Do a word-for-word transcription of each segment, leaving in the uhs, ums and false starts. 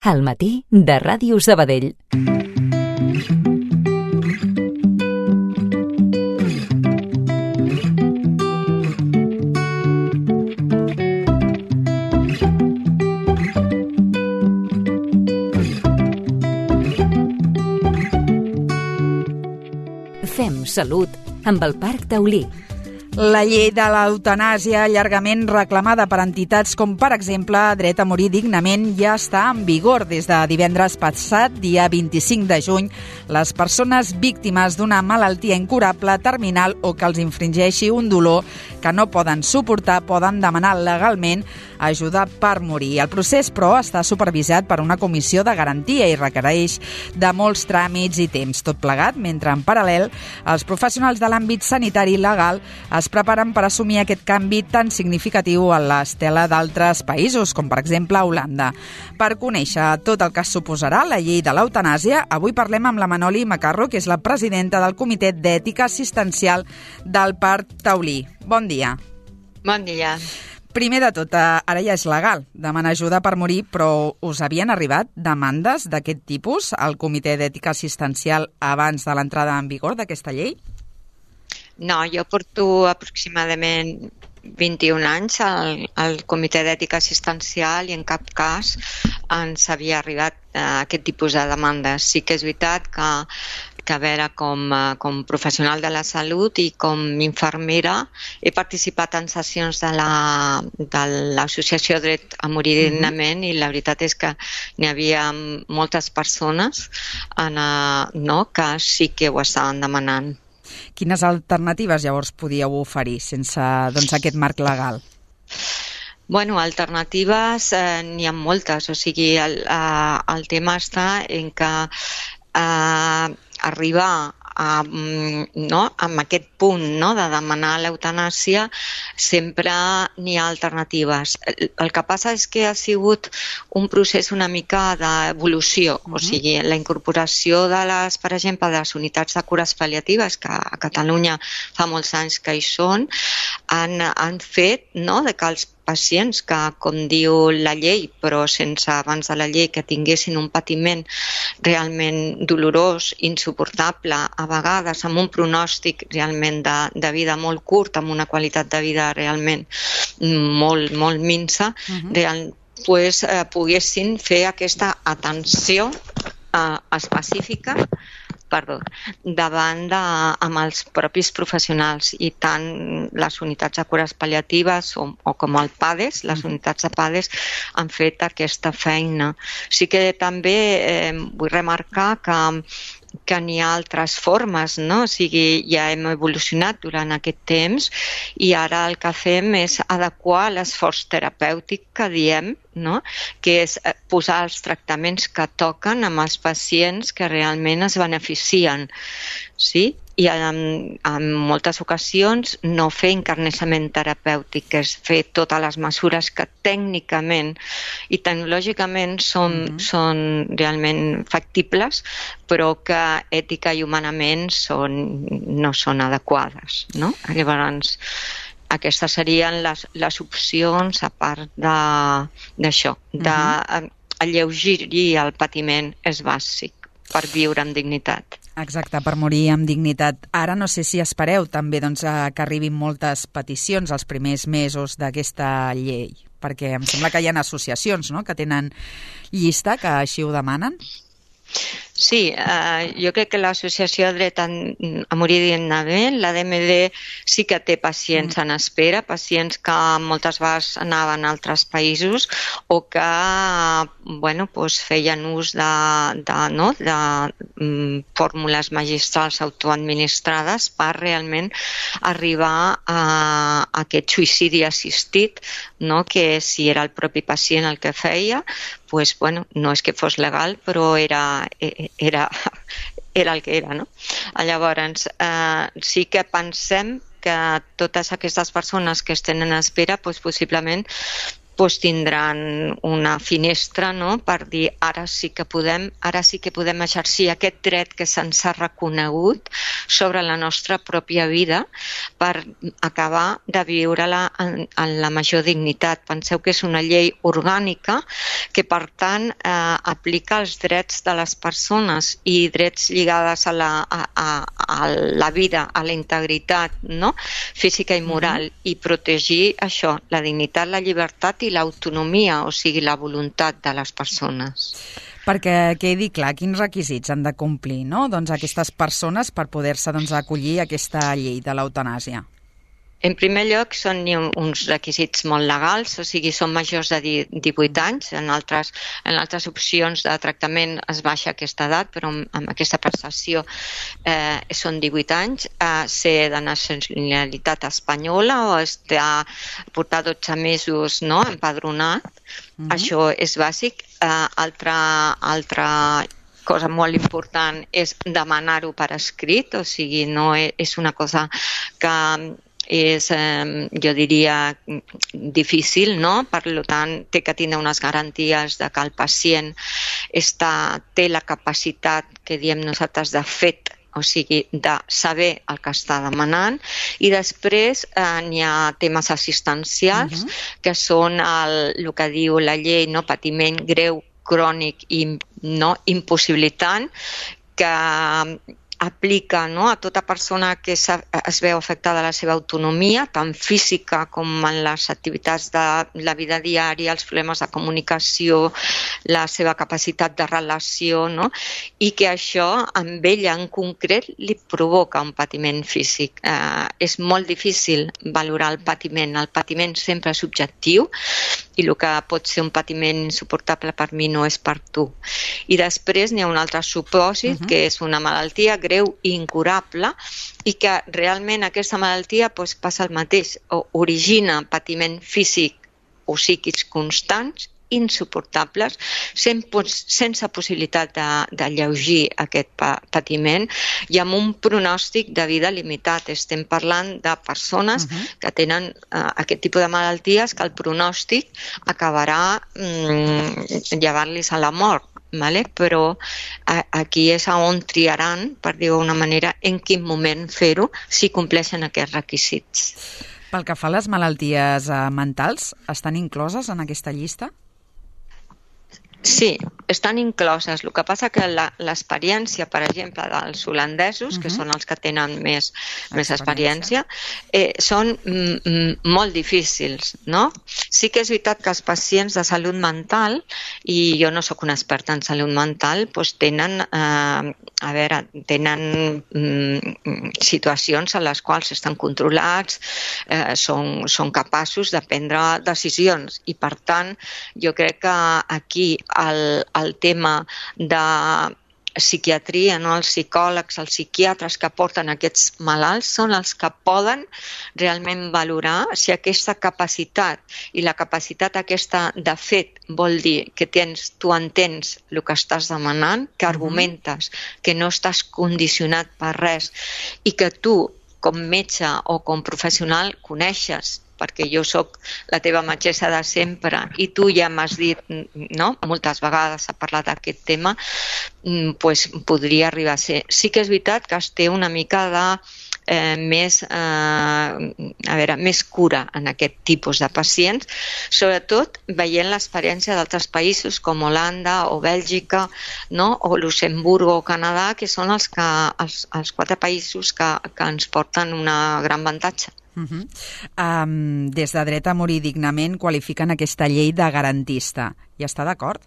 Al matí de Ràdio Sabadell. Fem salut amb el Parc Taulí. La llei de l'eutanàsia, llargament reclamada per entitats com, per exemple, Dret a morir dignament, ja està en vigor des de divendres passat, dia vint-i-cinc de juny. Les persones víctimes d'una malaltia incurable, terminal o que els infringeixi un dolor que no poden suportar poden demanar legalment ajuda per morir. El procés, però, està supervisat per una comissió de garantia i requereix de molts tràmits i temps. Tot plegat, mentre en paral·lel els professionals de l'àmbit sanitari i legal es preparen per assumir aquest canvi tan significatiu a l'estela d'altres països, com per exemple Holanda. Per conèixer tot el que suposarà la llei de l'eutanàsia, avui parlem amb la Manoli Macarro, que és la presidenta del Comitè d'Ètica Assistencial del Parc Taulí. Bon dia. Bon dia. Primer de tot, ara ja és legal demanar ajuda per morir, però us havien arribat demandes d'aquest tipus al Comitè d'Ètica Assistencial abans de l'entrada en vigor d'aquesta llei? No, jo porto aproximadament vint-i-un anys al, al Comitè d'Ètica Assistencial i en cap cas ens havia arribat uh, aquest tipus de demandes. Sí que és veritat que, que a veure, com, uh, com professional de la salut i com infermera he participat en sessions de la, de l'Associació Dret a morir dignament i la veritat és que n'hi havia moltes persones en, uh, no, que sí que ho estaven demanant. Quines alternatives llavors podíeu oferir sense doncs, aquest marc legal? Bueno, alternatives eh, n'hi ha moltes, o sigui, el, eh, el tema està en que eh, arribar a, no, amb aquest punt, no, de demanar l'eutanàsia sempre n'hi ha alternatives. El, el que passa és que ha sigut un procés una mica d'evolució, uh-huh. O sigui, la incorporació de les, per exemple, de les unitats de cures pal·liatives, que a Catalunya fa molts anys que hi són, han, han fet, no, de que els pacients que, com diu la llei, però sense abans de la llei, que tinguessin un patiment realment dolorós, insuportable, a vegades amb un pronòstic realment de, de vida molt curt, amb una qualitat de vida realment molt, molt minsa, uh-huh. real, pues, eh, poguessin fer aquesta atenció eh, específica perdó, davant de, amb els propis professionals i tant les unitats de cures pal·liatives o, o com el PADES, les unitats de PADES han fet aquesta feina. Sí que també eh, vull remarcar que que n'hi ha altres formes, no? O sigui, ja hem evolucionat durant aquest temps i ara el que fem és adequar l'esforç terapèutic que diem, no? Que és posar els tractaments que toquen amb els pacients que realment es beneficien, sí? I en, en moltes ocasions no fer encarnissament terapèutic, que és fer totes les mesures que tècnicament i tecnològicament són, mm-hmm. són realment factibles, però que ètica i humanament són, no són adequades, no? Llavors, aquestes serien les, les opcions a part d'això, d'alleugerir el patiment és bàsic per viure amb dignitat. Exacte, per morir amb dignitat. Ara no sé si espereu també doncs, que arribin moltes peticions els primers mesos d'aquesta llei, perquè em sembla que hi ha associacions, no?, que tenen llista, que així ho demanen. Sí, eh, jo crec que l'Associació Dret a, a morir dignament, la D M D, sí que té pacients en espera, pacients que moltes vegades anaven a altres països o que bueno, doncs feien ús de, de, no, de um, fórmules magistrals autoadministrades per realment arribar a, a aquest suïcidi assistit, no? Que si era el propi pacient el que feia, pues, bueno, no és que fos legal, però era, era, era el que era, no? Llavors, eh, sí que pensem que totes aquestes persones que estan en espera, pues, possiblement doncs tindran una finestra, no?, per dir ara sí que podem, ara sí que podem exercir aquest dret que se'ns ha reconegut sobre la nostra pròpia vida per acabar de viure-la en, en la major dignitat. Penseu que és una llei orgànica que, per tant, eh, aplica els drets de les persones i drets lligades a la, a, a, a la vida, a la integritat, no?, física i moral, mm-hmm. i protegir això, la dignitat, la llibertat i l'autonomia, o sigui, la voluntat de les persones. Perquè quedi clar, quins requisits han de complir, no?, doncs aquestes persones per poder-se doncs, acollir a aquesta llei de l'eutanàsia. En primer lloc, són uns requisits molt legals, o sigui, són majors de divuit anys. En altres, en altres opcions de tractament es baixa aquesta edat, però amb aquesta prestació eh, són divuit anys. Eh, ser de nacionalitat espanyola o estar, portar dotze mesos, no?, empadronat. Mm-hmm. Això és bàsic. Eh, altra, altra cosa molt important és demanar-ho per escrit, o sigui, no és una cosa que és, eh, jo diria, difícil, no? Per tant, té que tenir unes garanties de que el pacient està, té la capacitat, que diem nosaltres, de fet, o sigui, de saber el que està demanant, i després eh, n'hi ha temes assistencials, uh-huh. que són el, el que diu la llei, no? Patiment greu, crònic i no impossibilitant, que aplica, no?, a tota persona que es veu afectada la seva autonomia, tant física com en les activitats de la vida diària, els problemes de comunicació, la seva capacitat de relació, no?, i que això amb ella en concret li provoca un patiment físic. Eh, és molt difícil valorar el patiment. El patiment sempre és subjectiu i el que pot ser un patiment insuportable per mi no és per tu. I després n'hi ha un altre supòsit, uh-huh. que és una malaltia greu i incurable, i que realment aquesta malaltia doncs, passa el mateix, o origina patiment físic o psíquics constants, insuportables, sense possibilitat de, de lleugir aquest patiment i amb un pronòstic de vida limitat. Estem parlant de persones uh-huh. que tenen uh, aquest tipus de malalties que el pronòstic acabarà um, llevant-los a la mort. Vale? Però a, aquí és on triaran, per dir-ho d'una manera, en quin moment fer-ho, si compleixen aquests requisits. Pel que fa a les malalties eh, mentals, estan incloses en aquesta llista? Sí, estan incloses. El que passa que l'experiència, per exemple, dels holandesos, uh-huh. que són els que tenen més, més experiència, eh, són mm, molt difícils, no? Sí que és veritat que els pacients de salut mental, i jo no sóc una experta en salut mental, doncs tenen, eh, a veure, tenen mm, situacions en les quals estan controlats, eh, són, són capaços de prendre decisions, i per tant, jo crec que aquí El, el tema de psiquiatria, no? Els psicòlegs, els psiquiatres que porten aquests malalts són els que poden realment valorar si aquesta capacitat, i la capacitat aquesta de fet vol dir que tens, tu entens el que estàs demanant, que argumentes, que no estàs condicionat per res i que tu, com metge o com professional, coneixes, perquè jo sóc la teva metgessa de sempre i tu ja m'has dit, no?, moltes vegades ha parlat d'aquest tema, pues podria arribar a ser. Sí que és veritat que es té una mica de eh, més, eh, a veure, més cura en aquest tipus de pacients, sobretot veient l'experiència d'altres països com Holanda o Bèlgica, no?, o Luxemburgo o Canadà, que són els, que, els, els quatre països que, que ens porten un gran avantatge. Uh-huh. Um, des de Dret a Morir Dignament qualifiquen aquesta llei de garantista. Hi està d'acord?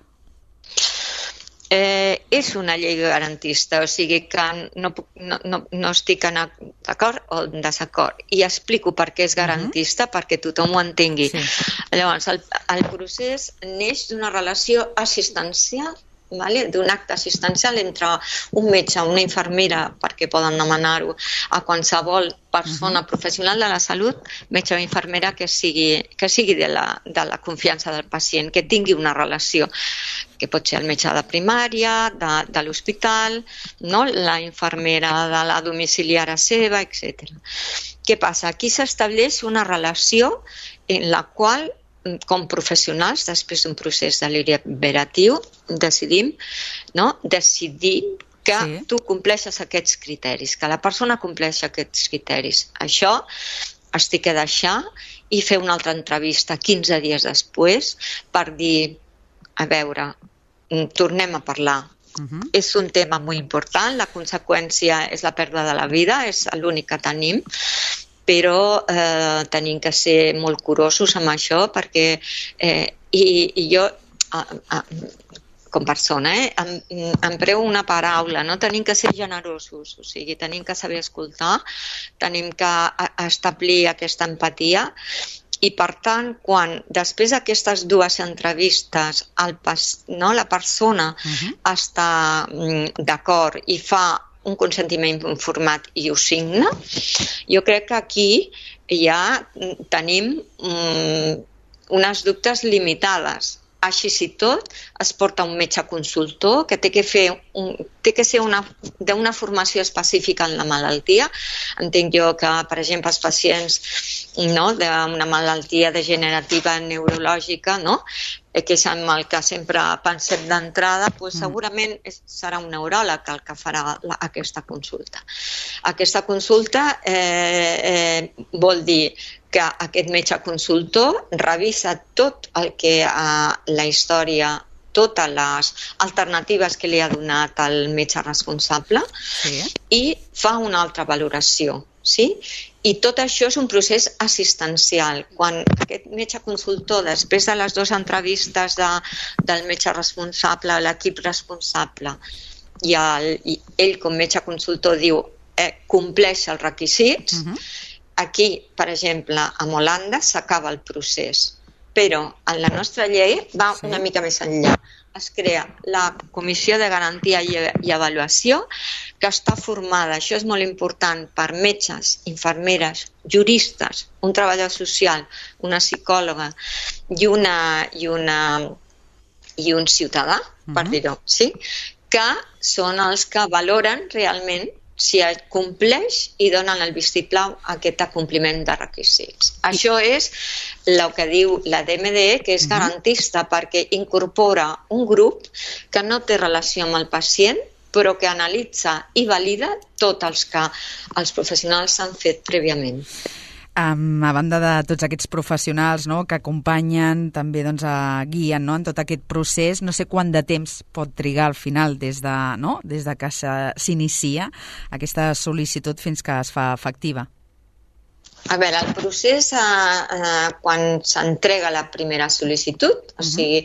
Eh, és una llei garantista, o sigui que no, no, no, no estic d'acord o en desacord. I explico per què és garantista, uh-huh. perquè tothom ho entengui. Sí. Llavors, el, el procés neix d'una relació assistencial, vale? D'un acte assistencial entre un metge, una infermera, perquè poden demanar-ho a qualsevol persona uh-huh. professional de la salut, metge o infermera que sigui, que sigui de, la, de la confiança del pacient, que tingui una relació, que pot ser el metge de primària, de, de l'hospital, no? La infermera de la domiciliària seva, etcètera. Què passa? Aquí s'estableix una relació en la qual com professionals, després d'un procés deliberatiu, decidim, no? decidim que sí. tu compleixes aquests criteris, que la persona compleixi aquests criteris. Això es té que deixar i fer una altra entrevista quinze dies després per dir, a veure, tornem a parlar. Uh-huh. És un tema molt important, la conseqüència és la pèrdua de la vida, és l'únic que tenim, però eh, tenim que ser molt curosos amb això perquè eh, i, i jo eh, eh, com persona eh, em, empreo una paraula, no? Tenim que ser generosos, o sigui, tenim que saber escoltar, tenim que a, establir aquesta empatia i per tant, quan després d'aquestes dues entrevistes el pas, no, la persona uh-huh. està mm, d'acord i fa un consentiment informat i ho signa, jo crec que aquí ja tenim um, unes dubtes limitades. Així i tot, es porta un metge consultor que té que, fer un, té que ser d'una formació específica en la malaltia. Entenc jo que, per exemple, els pacients no, d'una malaltia degenerativa neurològica, no, que és amb el que sempre pensem d'entrada, doncs segurament serà un neuròleg el que farà la, aquesta consulta. Aquesta consulta eh, eh, vol dir que aquest metge consultor revisa tot el que eh, la història, totes les alternatives que li ha donat el metge responsable sí. i fa una altra valoració. Sí? I tot això és un procés assistencial. Quan aquest metge consultor, després de les dues entrevistes de, del metge responsable, l'equip responsable, i, el, i ell com metge consultor diu eh, compleix els requisits, uh-huh. aquí, per exemple, a Holanda s'acaba el procés, però en la nostra llei va sí. una mica més enllà. Es crea la Comissió de Garantia i, i Avaluació, que està formada, això és molt important, per metges, infermeres, juristes, un treballador social, una psicòloga i, una, i, una, i un ciutadà, uh-huh. per dir-ho, sí? que són els que valoren realment si compleix i donen el vistiplau a aquest compliment de requisits. Això és el que diu la D M D E, que és garantista, uh-huh. perquè incorpora un grup que no té relació amb el pacient, però que analitza i valida tots els que els professionals han fet prèviament. Um, a banda de tots aquests professionals no, que acompanyen, també doncs, a, guien no, en tot aquest procés, no sé quant de temps pot trigar al final des de, no, des de que s'inicia aquesta sol·licitud fins que es fa efectiva. A veure, el procés, eh, eh, quan s'entrega la primera sol·licitud, uh-huh. o sigui,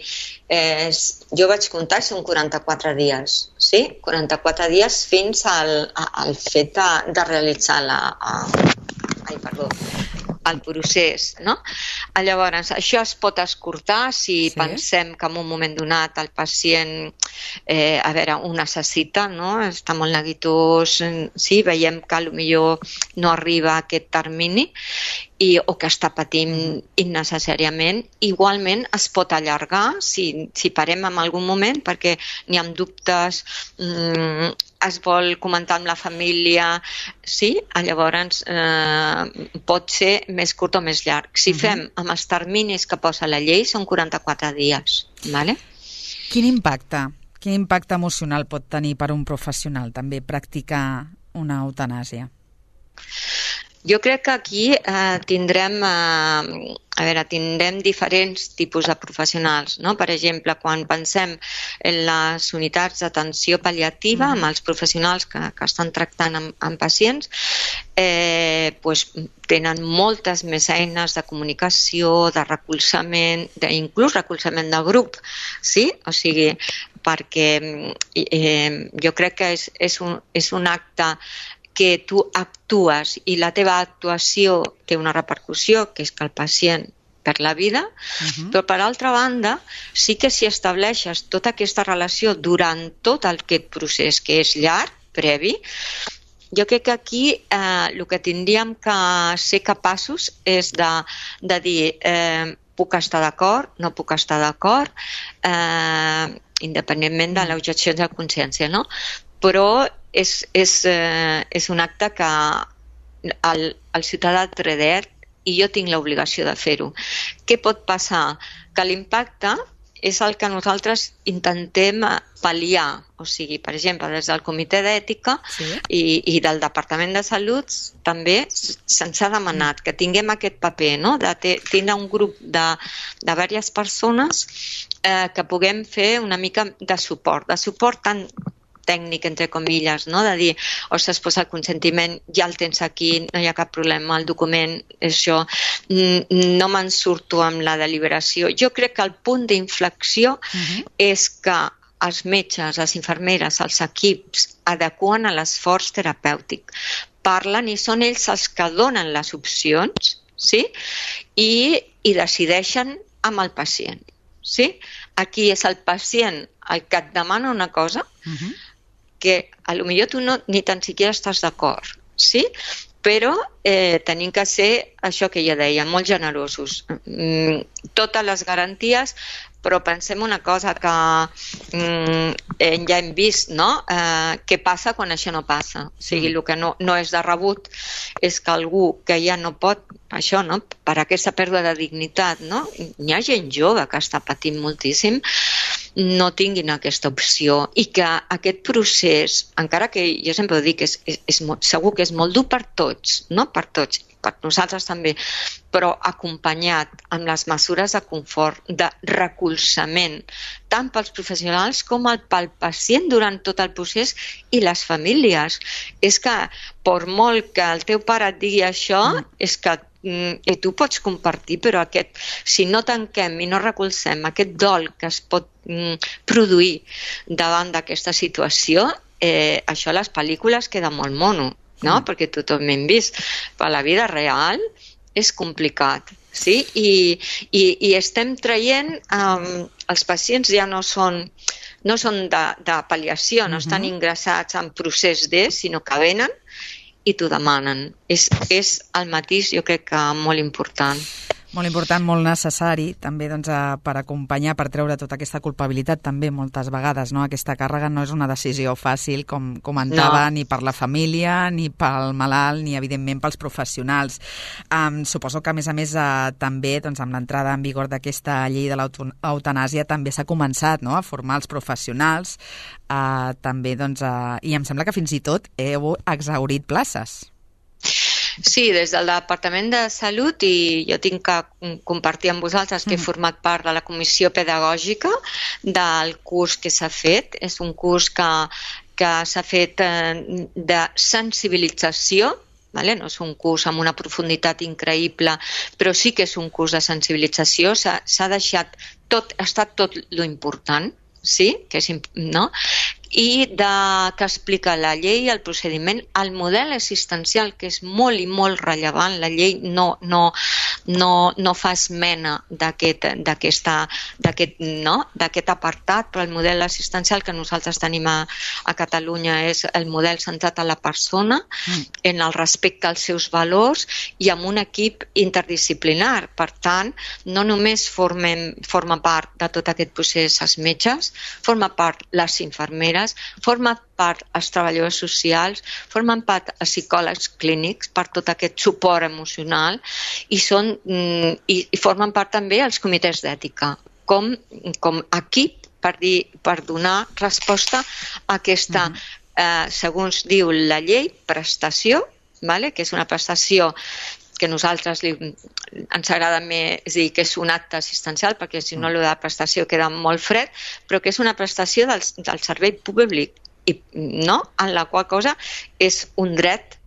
eh, jo vaig comptar, són quaranta-quatre dies, sí? quaranta-quatre dies fins al, al fet de, de realitzar la... A, ai, perdó, el procés, no? Llavors, això es pot escurtar si sí. pensem que en un moment donat el pacient, eh, a veure, ho necessita, no? Està molt neguitós, sí, veiem que potser no arriba a aquest termini i, o que està patint innecessàriament. Igualment es pot allargar si, si parem en algun moment perquè n'hi ha dubtes, mm, es vol comentar amb la família, sí? Llavors eh, pot ser més curt o més llarg. Si uh-huh. fem amb els terminis que posa la llei, són quaranta-quatre dies. Vale? Quin impacte, quin impacte emocional pot tenir per un professional també practicar una eutanàsia? Jo crec que aquí eh, tindrem, eh, a veure, tindrem diferents tipus de professionals, no? Per exemple, quan pensem en les unitats d'atenció pal·liativa, amb els professionals que, que estan tractant amb, amb pacients, eh, pues, tenen moltes més eines de comunicació, de recolzament, inclús recolzament de grup, sí? O sigui, perquè eh, jo crec que és, és, un, és un acte que tu actues i la teva actuació té una repercussió, que és que el pacient perd la vida, uh-huh. però per altra banda sí que si estableixes tota aquesta relació durant tot aquest procés que és llarg, previ, jo crec que aquí eh, el que tindríem que ser capaços és de, de dir eh, puc estar d'acord, no puc estar d'acord, eh, independentment de l'objecció de consciència, no? Però és, és, eh, és un acte que el, el ciutadà té dret i jo tinc l'obligació de fer-ho. Què pot passar? Que l'impacte és el que nosaltres intentem pal·liar. O sigui, per exemple, des del Comitè d'Ètica sí. i, i del Departament de Salut també se'ns ha demanat que tinguem aquest paper, no? De tindre un grup de, de diverses persones eh, que puguem fer una mica de suport, de suport tant tècnic, entre comilles, no? De dir, ostres, pues el consentiment ja el tens aquí, no hi ha cap problema, el document és això, no me'n surto amb la deliberació. Jo crec que el punt d'inflexió uh-huh. és que els metges, les infermeres, els equips adequen a l'esforç terapèutic. Parlen i són ells els que donen les opcions, sí? I, i decideixen amb el pacient. Sí? Aquí és el pacient el que et demana una cosa uh-huh. que a lo millor tu no, ni tan siquiera estàs d'acord, sí? Però eh, tenim que ser, això que ja deia, molt generosos. Mm, totes les garanties, però pensem una cosa que mm, ja hem vist, no? Eh, què passa quan això no passa? O sigui, el que no, no és de rebut és que algú que ja no pot, això, no? Per aquesta pèrdua de dignitat, no? Hi ha gent jove que està patint moltíssim, no tinguin aquesta opció i que aquest procés, encara que jo sempre ho dic, és, és, és molt, segur que és molt dur per tots, no per tots, per nosaltres també, però acompanyat amb les mesures de confort, de recolzament, tant pels professionals com pel pacient durant tot el procés i les famílies. És que, per molt que el teu pare et digui això, mm. és que i tu pots compartir, però aquest, si no tanquem i no recolzem aquest dol que es pot mm, produir davant d'aquesta situació, eh, això a les pel·lícules queda molt mono, no? Mm. Perquè tothom hem vist. Però a la vida real és complicat, sí? I, i, i estem traient, um, els pacients ja no són, no són de, de pal·liació, no mm-hmm. estan ingressats en procés de, sinó que venen i t'ho demanen. És, és el matís, jo crec que molt important. Molt important, molt necessari, també doncs, per acompanyar, per treure tota aquesta culpabilitat també moltes vegades, no? Aquesta càrrega no és una decisió fàcil, com comentava, no. Ni per la família, ni pel malalt, ni evidentment pels professionals. Um, suposo que a més a més uh, també doncs, amb l'entrada en vigor d'aquesta llei de l'eutanàsia també s'ha començat, no? A formar els professionals, uh, també doncs, uh, i em sembla que fins i tot heu exhaurit places. Sí, des del Departament de Salut, i jo tinc que compartir amb vosaltres que he format part de la comissió pedagògica del curs que s'ha fet. És un curs que, que s'ha fet de sensibilització, vale? No és un curs amb una profunditat increïble, però sí que és un curs de sensibilització. S'ha, s'ha deixat tot, ha estat tot lo important, sí? Que és, no? I de, que explica la llei, el procediment, el model assistencial, que és molt i molt rellevant. La llei no, no, no, no fa esmena d'aquest, d'aquesta, d'aquest, no? d'aquest apartat, però el model assistencial que nosaltres tenim a, a Catalunya és el model centrat a la persona, mm. en el respecte als seus valors i amb un equip interdisciplinar. Per tant, no només formem, forma part de tot aquest procés els metges, forma part les infermeres, formen part els treballadors socials, formen part els psicòlegs clínics per tot aquest suport emocional i, són, i, i formen part també els comitès d'ètica com, com equip per, dir, per donar resposta a aquesta, mm-hmm. eh, segons diu la llei, prestació, vale? Que és una prestació que nosaltres li, ens agrada més dir que és un acte assistencial, perquè si no allò de prestació queda molt fred, però que és una prestació del, del servei públic, i, no? En la qual cosa és un dret,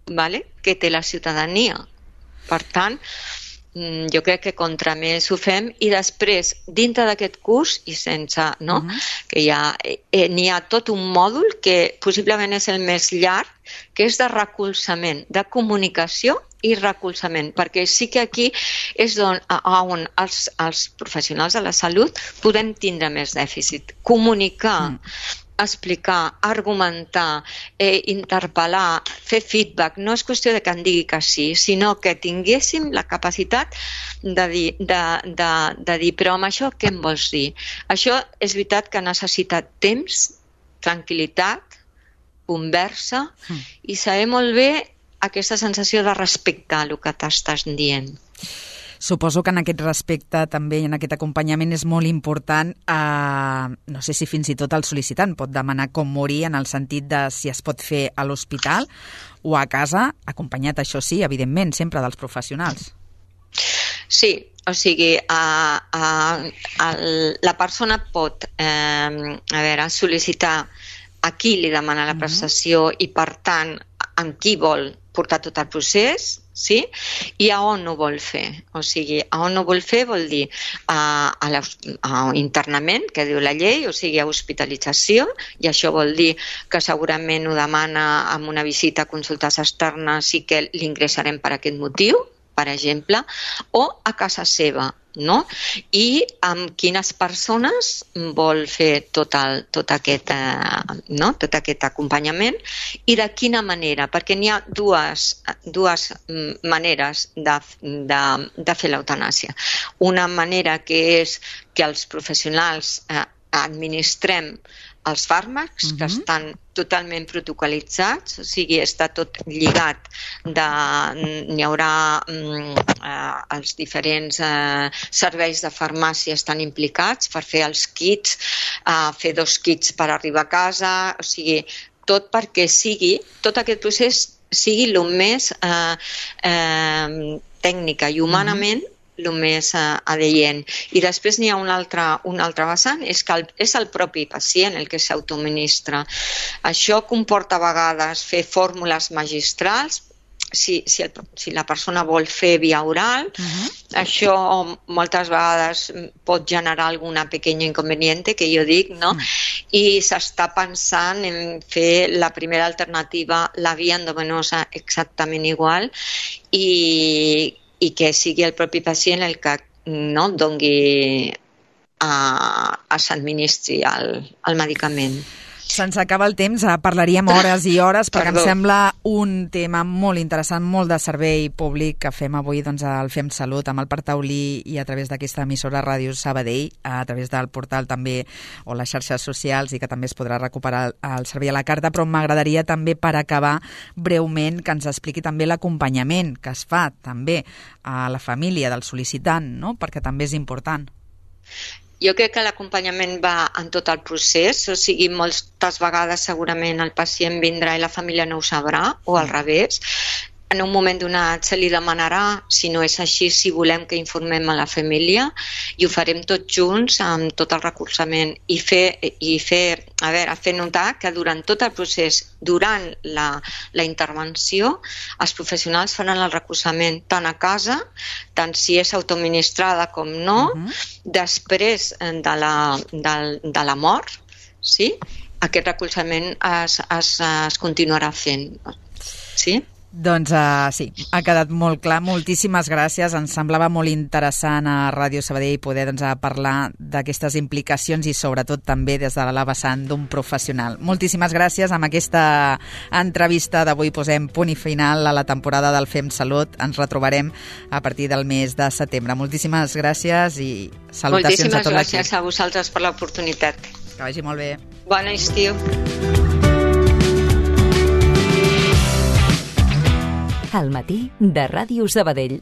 vale? Que té la ciutadania. Per tant, jo crec que contra més ho fem, i després, dintre d'aquest curs, i sense, no? Uh-huh. Que hi ha, eh, n'hi ha tot un mòdul que possiblement és el més llarg, que és de recolzament, de comunicació i recolzament, perquè sí que aquí és on, on els, els professionals de la salut podem tindre més dèficit. Comunicar, mm. explicar, argumentar, eh, interpel·lar, fer feedback. No és qüestió de que en digui que sí, sinó que tinguéssim la capacitat de dir, de, de, de dir però amb això què em vols dir? Això és veritat que necessita temps, tranquil·litat, conversa, mm. i saber molt bé aquesta sensació de respecte a el que t'estàs dient. Suposo que en aquest respecte també i en aquest acompanyament és molt important, eh, no sé si fins i tot el sol·licitant pot demanar com morir en el sentit de si es pot fer a l'hospital o a casa, acompanyat, això sí, evidentment, sempre dels professionals. Sí, o sigui, a, a, a, la persona pot eh, a veure, sol·licitar a qui li demana la prestació i, per tant, amb qui vol portar tot el procés, sí? I a on ho vol fer. O sigui, a on ho vol fer vol dir a, a, la, a internament, que diu la llei, o sigui, a hospitalització, i això vol dir que segurament ho demana amb una visita a consultes externes i que l'ingressarem per aquest motiu, per exemple, o a casa seva, no? I amb quines persones vol fer tot, el, tot, aquest, eh, no? tot aquest acompanyament i de quina manera, perquè n'hi ha dues, dues maneres de, de, de fer l'eutanàsia. Una manera que és que els professionals eh, administrem els fàrmacs, uh-huh. que estan totalment protocolitzats, o sigui, està tot lligat, de, n'hi haurà eh, els diferents eh, serveis de farmàcia estan implicats per fer els kits, eh, fer dos kits per arribar a casa, o sigui, tot perquè sigui, tot aquest procés sigui el més eh, eh, tècnica i humanament uh-huh. el més uh, adient. I després n'hi ha un altre, un altre vessant, és que el, és el propi pacient el que s'autoministra. Això comporta a vegades fer fórmules magistrals, si, si, el, si la persona vol fer via oral, uh-huh. això moltes vegades pot generar alguna pequeña inconveniente, que jo dic, no? Uh-huh. I s'està pensant en fer la primera alternativa, la via endovenosa, exactament igual, i i que sigui el propi pacient el que no dongui a, a s'administri el, el medicament. Se'ns acaba el temps, parlaríem hores i hores perquè Perdó. Em sembla un tema molt interessant, molt de servei públic que fem avui doncs, al Fem Salut amb el Parc Taulí i a través d'aquesta emissora Ràdio Sabadell, a través del portal també o les xarxes socials i que també es podrà recuperar el servei a la carta, però m'agradaria també per acabar breument que ens expliqui també l'acompanyament que es fa també a la família del sol·licitant, no? Perquè també és important. Jo crec que l'acompanyament va en tot el procés, o sigui, moltes vegades segurament el pacient vindrà i la família no ho sabrà, o al revés. En un moment donat se li demanarà, si no és així, si volem que informem a la família, i ho farem tots junts amb tot el recolzament i fer, i fer, a veure, fer notar que durant tot el procés, durant la, la intervenció, els professionals faran el recolzament tant a casa, tant si és autoadministrada com no, uh-huh. després de la, de, de la mort, sí? Aquest recolzament es, es, es continuarà fent. Sí? Doncs uh, sí, ha quedat molt clar. Moltíssimes gràcies. Ens semblava molt interessant a Ràdio Sabadell poder doncs, parlar d'aquestes implicacions i sobretot també des de la vessant d'un professional. Moltíssimes gràcies. Amb aquesta entrevista d'avui posem punt i final a la temporada del Fem Salut. Ens retrobarem a partir del mes de setembre. Moltíssimes gràcies i salutacions Moltíssimes a tot l'equip. Moltíssimes gràcies a vosaltres per l'oportunitat. Que vagi molt bé. Bon estiu. Al matí de Ràdio Sabadell.